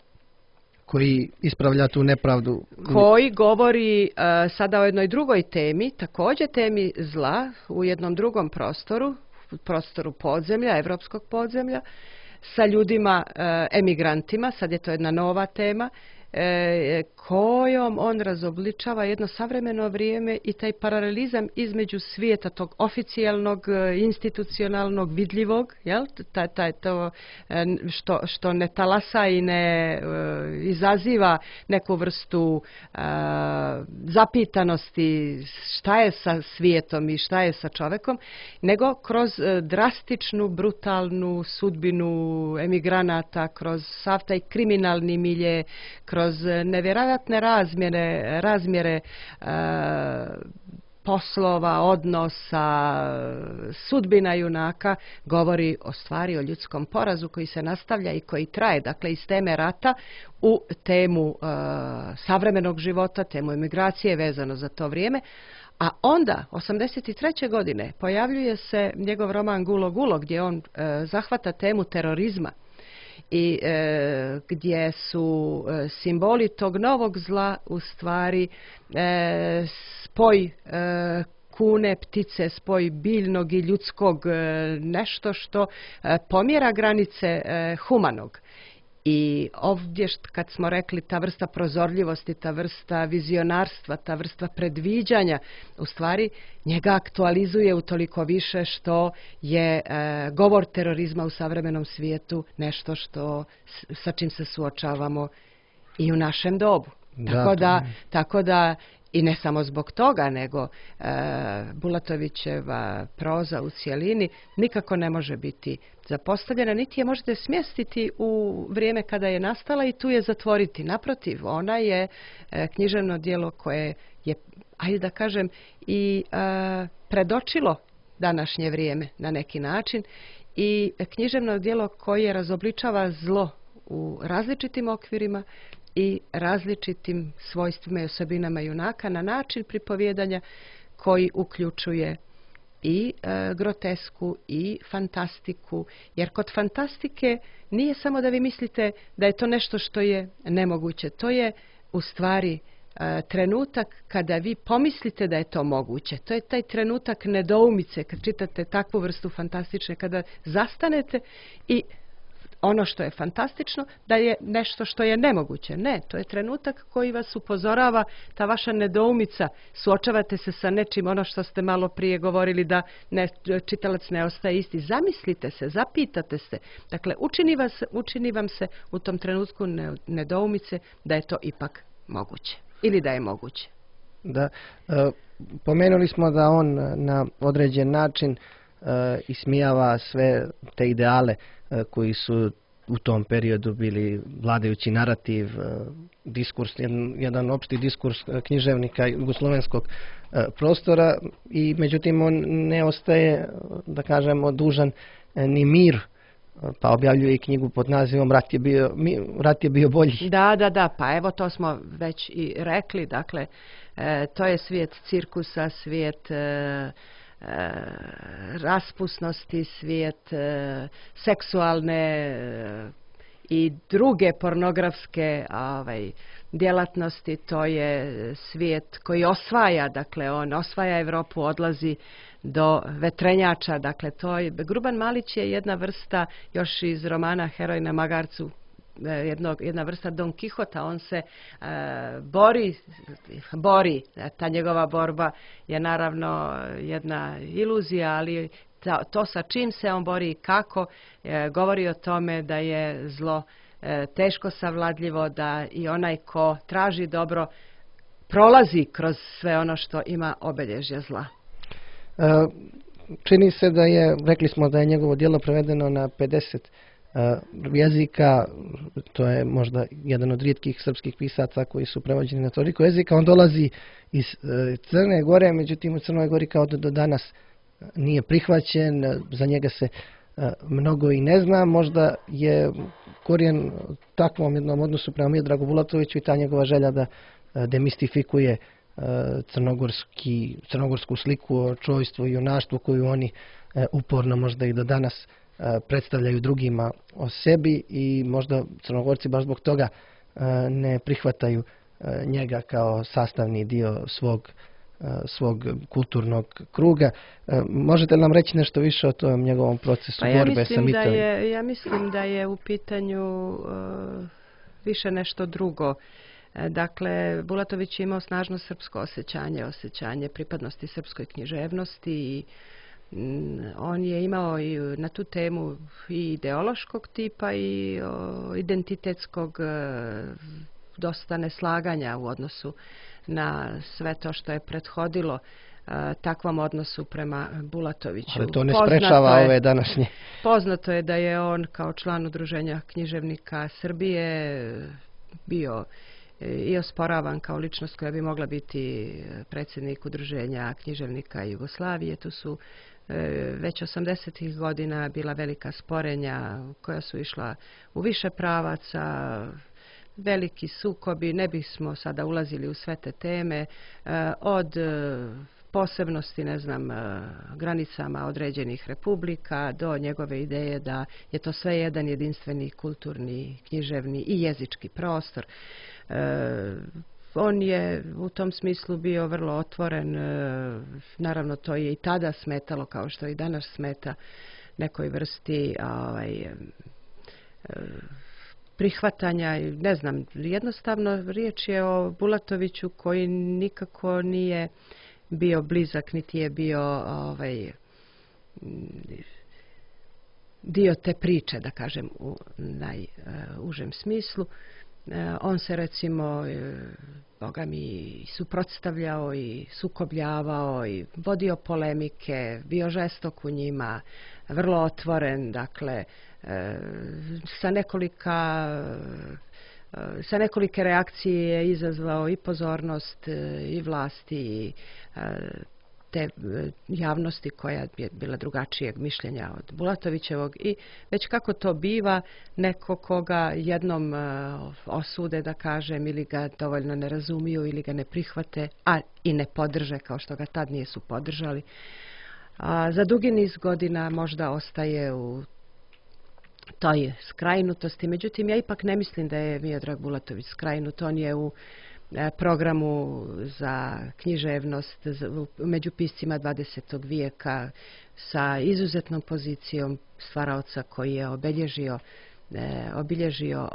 koji ispravlja tu nepravdu. Koji govori uh, sada o jednoj drugoj temi, također temi zla u jednom drugom prostoru, prostoru podzemlja, evropskog podzemlja, sa ljudima, uh, emigrantima, sad je to jedna nova tema, e, kojom on razobličava jedno savremeno vrijeme i taj paralelizam između svijeta tog oficijalnog, institucionalnog, vidljivog, jel? Taj, taj, to što, što ne talasa i ne uh, izaziva neku vrstu uh, zapitanosti šta je sa svijetom i šta je sa čovekom, nego kroz uh, drastičnu, brutalnu sudbinu emigranata, kroz sav taj kriminalni milje, kroz nevjerojatne razmjere, razmjere e, poslova, odnosa, sudbina junaka, govori o stvari, o ljudskom porazu koji se nastavlja i koji traje, dakle iz teme rata u temu e, savremenog života, temu emigracije vezano za to vrijeme. A onda, osamdeset treće godine, pojavljuje se njegov roman Gulo Gulo, gdje on e, zahvata temu terorizma i e, gdje su e, simboli tog novog zla u stvari e, spoj e, kune, ptice, spoj biljnog i ljudskog, e, nešto što e, pomjera granice e, humanog. I ovdje kad smo rekli ta vrsta prozorljivosti, ta vrsta vizionarstva, ta vrsta predviđanja, u stvari njega aktualizuje utoliko više što je e, govor terorizma u savremenom svijetu nešto što, sa čim se suočavamo i u našem dobu. Da, tako, da, tako da i ne samo zbog toga, nego e, Bulatovićeva proza u cjelini nikako ne može biti zapostavljena, niti je možete smjestiti u vrijeme kada je nastala i tu je zatvoriti. Naprotiv, ona je e, književno djelo koje je, ajde da kažem, i e, predočilo današnje vrijeme na neki način i književno djelo koje razobličava zlo u različitim okvirima i različitim svojstvima i osobinama junaka na način pripovjedanja koji uključuje i e, grotesku i fantastiku, jer kod fantastike nije samo da vi mislite da je to nešto što je nemoguće, to je u stvari e, trenutak kada vi pomislite da je to moguće. To je taj trenutak nedoumice kad čitate takvu vrstu fantastične, kada zastanete i ono što je fantastično, da je nešto što je nemoguće. Ne, to je trenutak koji vas upozorava, ta vaša nedoumica, suočavate se sa nečim, ono što ste malo prije govorili da ne, čitalac ne ostaje isti. Zamislite se, zapitate se. Dakle, učini, vas, učini vam se u tom trenutku nedoumice da je to ipak moguće ili da je moguće. Da, e, pomenuli smo da on na određen način e, ismijava sve te ideale e, koji su u tom periodu bili vladajući narativ, e, diskurs, jedan, jedan opšti diskurs književnika jugoslovenskog e, prostora i međutim on ne ostaje, da kažemo, dužan e, ni mir, pa objavljuje i knjigu pod nazivom Rat je bio, mi, rat je bio bolji. Da, da, da, pa evo to smo već i rekli, dakle, e, to je svijet cirkusa, svijet e, e, raspusnosti, svijet e, seksualne e, i druge pornografske ovaj, djelatnosti, to je svijet koji osvaja, dakle, on osvaja Europu, odlazi do vetrenjača, dakle, to je, Gruban Malić je jedna vrsta, još iz romana Heroj na magarcu, jednog, jedna vrsta Don Kihota, on se e, bori, bori, ta njegova borba je naravno jedna iluzija, ali ta, to sa čim se on bori i kako, e, govori o tome da je zlo e, teško savladljivo, da i onaj ko traži dobro prolazi kroz sve ono što ima obilježja zla. E, čini se da je, rekli smo da je njegovo djelo prevedeno na pedeset e, jezika, to je možda jedan od rijetkih srpskih pisaca koji su prevođeni na toliko jezika. On dolazi iz e, Crne Gore, međutim u Crnoj Gori kao do, do danas nije prihvaćen, za njega se e, mnogo i ne zna, možda je korijen takvom jednom odnosu prema Miodragu Bulatoviću i ta njegova želja da e, demistifikuje crnogorski, crnogorsku sliku o čojstvu i junaštvu koju oni e, uporno možda i do danas e, predstavljaju drugima o sebi i možda Crnogorci baš zbog toga e, ne prihvataju e, njega kao sastavni dio svog, e, svog kulturnog kruga. E, možete li nam reći nešto više o tom njegovom procesu pa ja borbe sa mitovima? Da je, ja mislim da je u pitanju uh, više nešto drugo. Dakle, Bulatović je imao snažno srpsko osjećanje, osjećanje pripadnosti srpskoj književnosti i mm, on je imao i na tu temu i ideološkog tipa i o, identitetskog e, dosta neslaganja u odnosu na sve to što je prethodilo e, takvom odnosu prema Bulatoviću. Ali to ne sprečava ove današnje. Poznato je da je on kao član Udruženja književnika Srbije bio i osporavan kao ličnost koja bi mogla biti predsjednik Udruženja književnika Jugoslavije. Tu su e, već osamdesetih godina bila velika sporenja koja su išla u više pravaca, veliki sukobi, ne bismo sada ulazili u sve te teme, e, od e, posebnosti, ne znam, granicama određenih republika do njegove ideje da je to sve jedan jedinstveni kulturni, književni i jezički prostor. E, on je u tom smislu bio vrlo otvoren, e, naravno to je i tada smetalo kao što i danas smeta nekoj vrsti ovaj, e, prihvatanja, ne znam, jednostavno riječ je o Bulatoviću koji nikako nije bio blizak, niti je bio ovaj, dio te priče, da kažem, u najužem smislu. On se recimo, boga mi, suprotstavljao i sukobljavao i vodio polemike, bio žestok u njima, vrlo otvoren, dakle, sa nekolika sa nekolike reakcije je izazvao i pozornost i vlasti i te javnosti koja je bila drugačijeg mišljenja od Bulatovićevog i već kako to biva, neko koga jednom osude, da kažem, ili ga dovoljno ne razumiju ili ga ne prihvate, a i ne podrže kao što ga tad nisu podržali. A za dugi niz godina možda ostaje u toj skrajnutosti. Međutim, ja ipak ne mislim da je Miodrag Bulatović skrajnut. On je u programu za književnost među piscima dvadesetog vijeka sa izuzetnom pozicijom stvaraoca koji je obilježio obilježio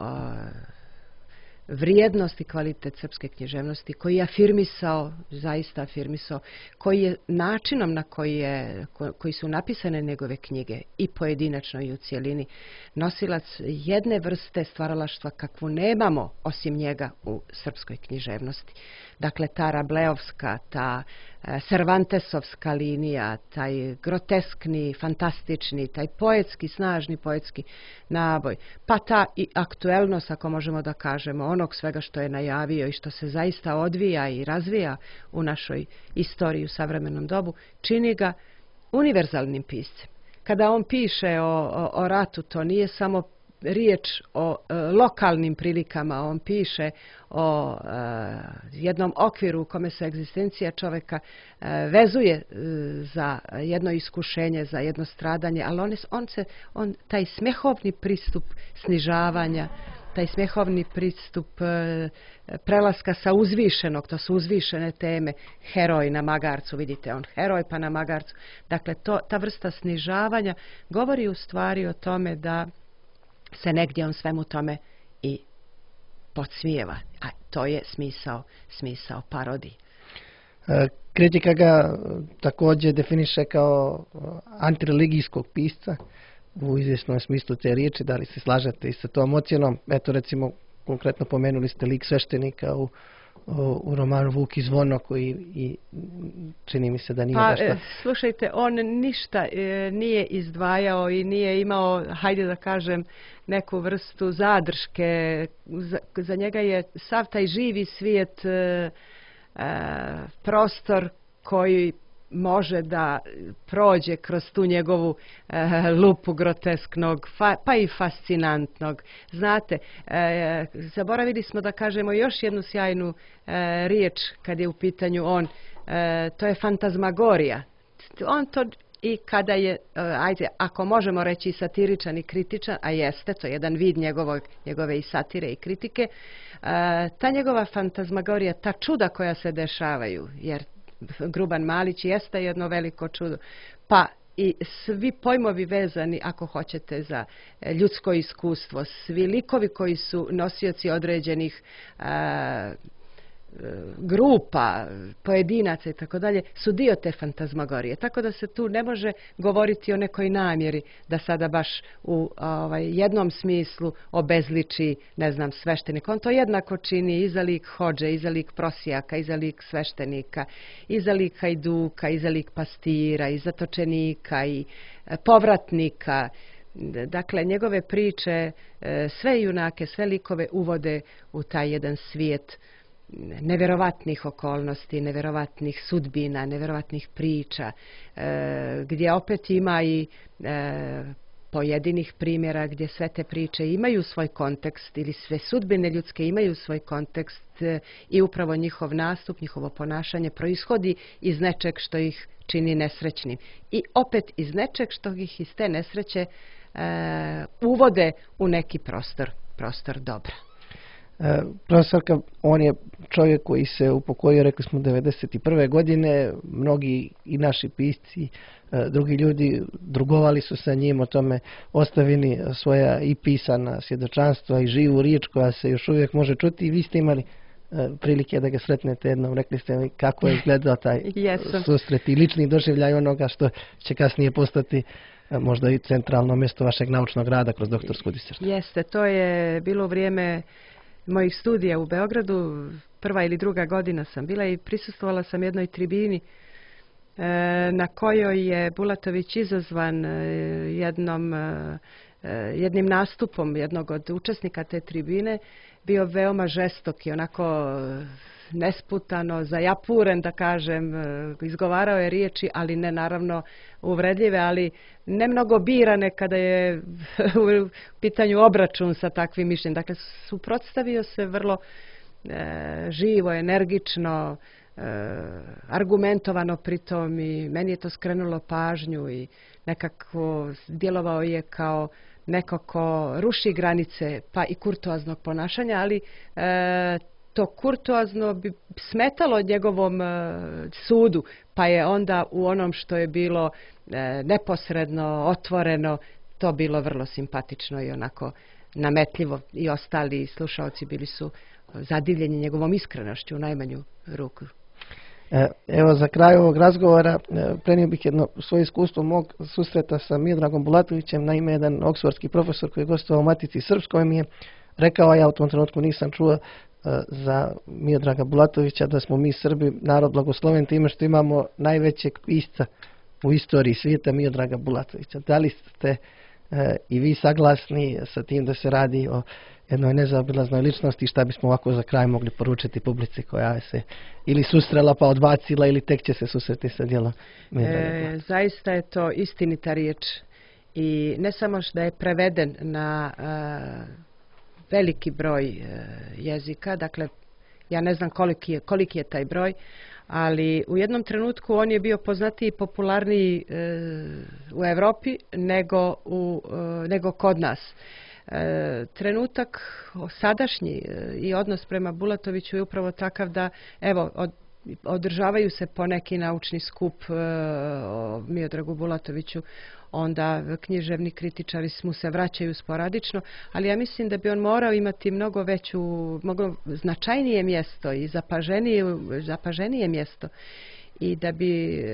vrijednost i kvalitet srpske književnosti, koji je afirmisao, zaista afirmisao, koji je načinom na koji, je, koji su napisane njegove knjige i pojedinačno i u cjelini nosilac jedne vrste stvaralaštva kakvu nemamo osim njega u srpskoj književnosti. Dakle, ta Rableovska, ta Cervantesovska linija, taj groteskni, fantastični, taj poetski, snažni poetski naboj, pa ta i aktuelnost, ako možemo da kažemo, onog svega što je najavio i što se zaista odvija i razvija u našoj istoriji u savremenom dobu, čini ga univerzalnim piscem. Kada on piše o, o, o ratu, to nije samo riječ o e, lokalnim prilikama, on piše o e, jednom okviru u kome se egzistencija čovjeka e, vezuje e, za jedno iskušenje, za jedno stradanje, ali on, on se, on, taj smehovni pristup snižavanja, taj smehovni pristup e, prelaska sa uzvišenog, to su uzvišene teme, heroj na magarcu, vidite, on heroj pa na magarcu. Dakle, to, ta vrsta snižavanja govori u stvari o tome da se negdje on svemu tome i podsmijeva. A to je smisao, smisao parodije. Kritika ga također definiše kao antireligijskog pisca u izvjesnom smislu te riječi. Da li se slažete i sa tom ocjenom? Eto, recimo, konkretno pomenuli ste lik sveštenika u u romanu Vuk i zvono, koji i čini mi se da nije pa, baš... Slušajte, on ništa e, nije izdvajao i nije imao, hajde da kažem, neku vrstu zadrške. Za, za njega je sav taj živi svijet e, e, prostor koji može da prođe kroz tu njegovu e, lupu grotesknog, fa, pa i fascinantnog. Znate, e, zaboravili smo da kažemo još jednu sjajnu e, riječ kad je u pitanju on, e, to je fantazmagorija. On to i kada je, e, ajde, ako možemo reći satiričan i kritičan, a jeste, to je jedan vid njegovog, njegove i satire i kritike, e, ta njegova fantazmagorija, ta čuda koja se dešavaju, jer Gruban Malić jeste jedno veliko čudo. Pa i svi pojmovi vezani, ako hoćete, za ljudsko iskustvo, svi likovi koji su nosioci određenih a, grupa, pojedinaca i tako dalje, su dio te fantazmagorije. Tako da se tu ne može govoriti o nekoj namjeri da sada baš u ovaj, jednom smislu obezliči, ne znam, sveštenika. On to jednako čini i za lik hodže, i za lik prosijaka, i za lik sveštenika, i za lik hajduka, i za lik pastira, i zatočenika, i povratnika. Dakle, njegove priče, sve junake, sve likove uvode u taj jedan svijet nevjerovatnih okolnosti, nevjerovatnih sudbina, nevjerovatnih priča, e, gdje opet ima i e, pojedinih primjera gdje sve te priče imaju svoj kontekst ili sve sudbine ljudske imaju svoj kontekst e, i upravo njihov nastup, njihovo ponašanje proishodi iz nečeg što ih čini nesrećnim. I opet iz nečeg što ih iz te nesreće e, uvode u neki prostor, prostor dobra. E, profesorka, on je čovjek koji se upokojio, rekli smo, devedeset prve godine. Mnogi i naši pisci, e, drugi ljudi drugovali su sa njim, o tome ostavili svoja i pisana svjedočanstva i živu riječ koja se još uvijek može čuti. I vi ste imali e, prilike da ga sretnete jednom. Rekli ste mi kako je izgledao taj susret i lični doživljaj onoga što će kasnije postati e, možda i centralno mjesto vašeg naučnog rada kroz doktorsku disertaciju. Jeste, to je bilo vrijeme mojih studija u Beogradu, prva ili druga godina sam bila i prisustvovala sam jednoj tribini e, na kojoj je Bulatović izazvan e, jednom, e, jednim nastupom jednog od učesnika te tribine, bio veoma žestok i onako nesputano, zajapuren, da kažem, izgovarao je riječi, ali ne naravno uvredljive, ali ne mnogo birane kada je u pitanju obračun sa takvim mišljenjem. Dakle, suprotstavio se vrlo e, živo, energično, e, argumentovano pritom i meni je to skrenulo pažnju i nekako djelovao je kao neko ko ruši granice pa i kurtoaznog ponašanja, ali e, to kurtoazno bi smetalo njegovom e, sudu, pa je onda u onom što je bilo e, neposredno, otvoreno, to bilo vrlo simpatično i onako nametljivo i ostali slušaoci bili su zadivljeni njegovom iskrenošću u najmanju ruku. Evo, za kraj ovog razgovora prenio bih jedno svoje iskustvo mog susreta sa Miodragom Bulatovićem. Naime, jedan oksfordski profesor koji je gostovao u Matici Srpskoj mi je rekao, a ja u tom trenutku nisam čuo za Miodraga Bulatovića, da smo mi Srbi narod blagosloven time što imamo najvećeg pisca u istoriji svijeta, Miodraga Bulatovića. Da li ste e, i vi saglasni sa tim da se radi o jednoj nezaobilaznoj ličnosti, šta bismo ovako za kraj mogli poručiti publici koja se ili susrela pa odbacila ili tek će se susreti sa djelom Miodraga Bulatovića? E, zaista je to istinita riječ i ne samo što je preveden na a, veliki broj e, jezika, dakle ja ne znam koliki je, koliki je taj broj, ali u jednom trenutku on je bio poznatiji i popularniji e, u Europi nego, u, e, nego kod nas. E, trenutak sadašnji e, i odnos prema Bulatoviću je upravo takav da evo od, održavaju se poneki naučni skup e, o Miodragu Bulatoviću, onda književni kritičari mu se vraćaju sporadično, ali ja mislim da bi on morao imati mnogo veću, mnogo značajnije mjesto i zapaženije, zapaženije mjesto i da bi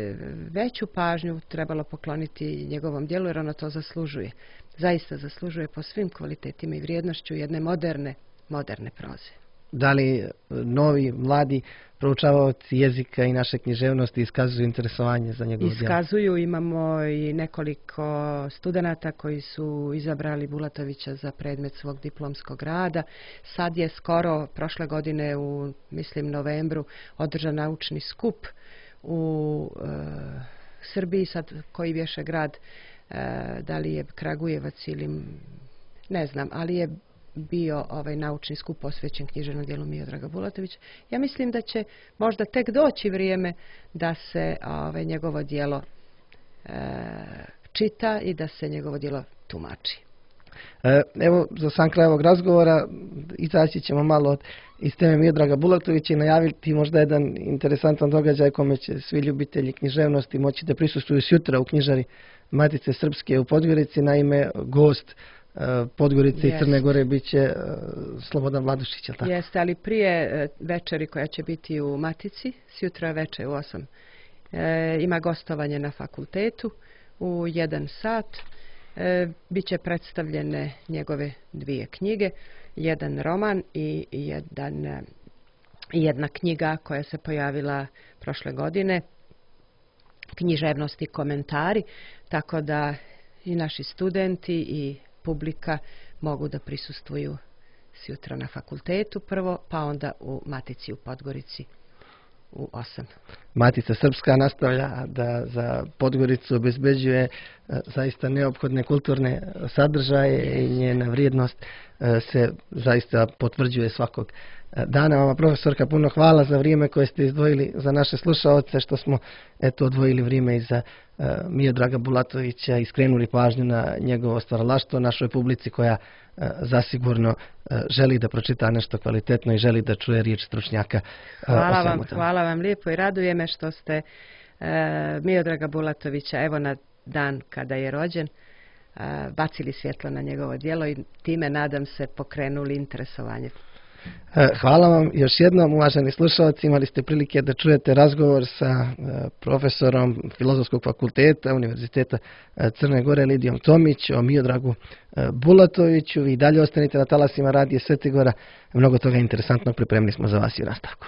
veću pažnju trebalo pokloniti njegovom djelu, jer ono to zaslužuje. Zaista zaslužuje po svim kvalitetima i vrijednošću jedne moderne, moderne proze. Da li novi, mladi proučavaoci jezika i naše književnosti iskazuju interesovanje za njegovo djelo? Iskazuju, imamo i nekoliko studenata koji su izabrali Bulatovića za predmet svog diplomskog rada. Sad je skoro, prošle godine u, mislim, novembru, održan naučni skup u e, Srbiji, sad koji bješe grad, e, da li je Kragujevac ili ne znam, ali je bio ovaj naučni skup posvećen književnom djelu Miodraga Bulatovića. Ja mislim da će možda tek doći vrijeme da se ovaj, njegovo djelo e, čita i da se njegovo djelo tumači. E, evo, za sam kraj ovog razgovora izaći ćemo malo od, iz teme Miodraga Bulatovića i najaviti možda jedan interesantan događaj kome će svi ljubitelji književnosti moći da prisustvuju sutra u knjižari Matice Srpske u Podgorici. Naime, gost Podgorice i Crne Gore bit će Slobodan Vladušić, je li tako? Jeste, ali prije večeri koja će biti u Matici, sutra večer u osam, e, ima gostovanje na fakultetu u jedan sat. E, Biće predstavljene njegove dvije knjige, jedan roman i jedan, jedna knjiga koja se pojavila prošle godine, književnost i komentari, tako da i naši studenti i publika mogu da prisustvuju sutra na fakultetu prvo, pa onda u Matici u Podgorici u osam. Matica Srpska nastavlja da za Podgoricu obezbeđuje zaista neophodne kulturne sadržaje i njena vrijednost se zaista potvrđuje svakog dana. Vama, profesorka, puno hvala za vrijeme koje ste izdvojili za naše slušaoce, što smo eto odvojili vrijeme i za uh, Miodraga Bulatovića i skrenuli pažnju na njegovo stvaralaštvo našoj publici koja uh, zasigurno uh, želi da pročita nešto kvalitetno i želi da čuje riječ stručnjaka. Uh, hvala vam, hvala vam lijepo i raduje me što ste uh, Miodraga Bulatovića, evo na dan kada je rođen, uh, bacili svjetlo na njegovo djelo i time, nadam se, pokrenuli interesovanje. Hvala vam još jednom, uvaženi slušalci. Imali ste prilike da čujete razgovor sa profesorom Filozofskog fakulteta Univerziteta Crne Gore Lidijom Tomić o Miodragu Bulatoviću. Vi dalje ostanite na talasima radija Svetigora. Mnogo toga interesantnog pripremili smo za vas i u nastavku.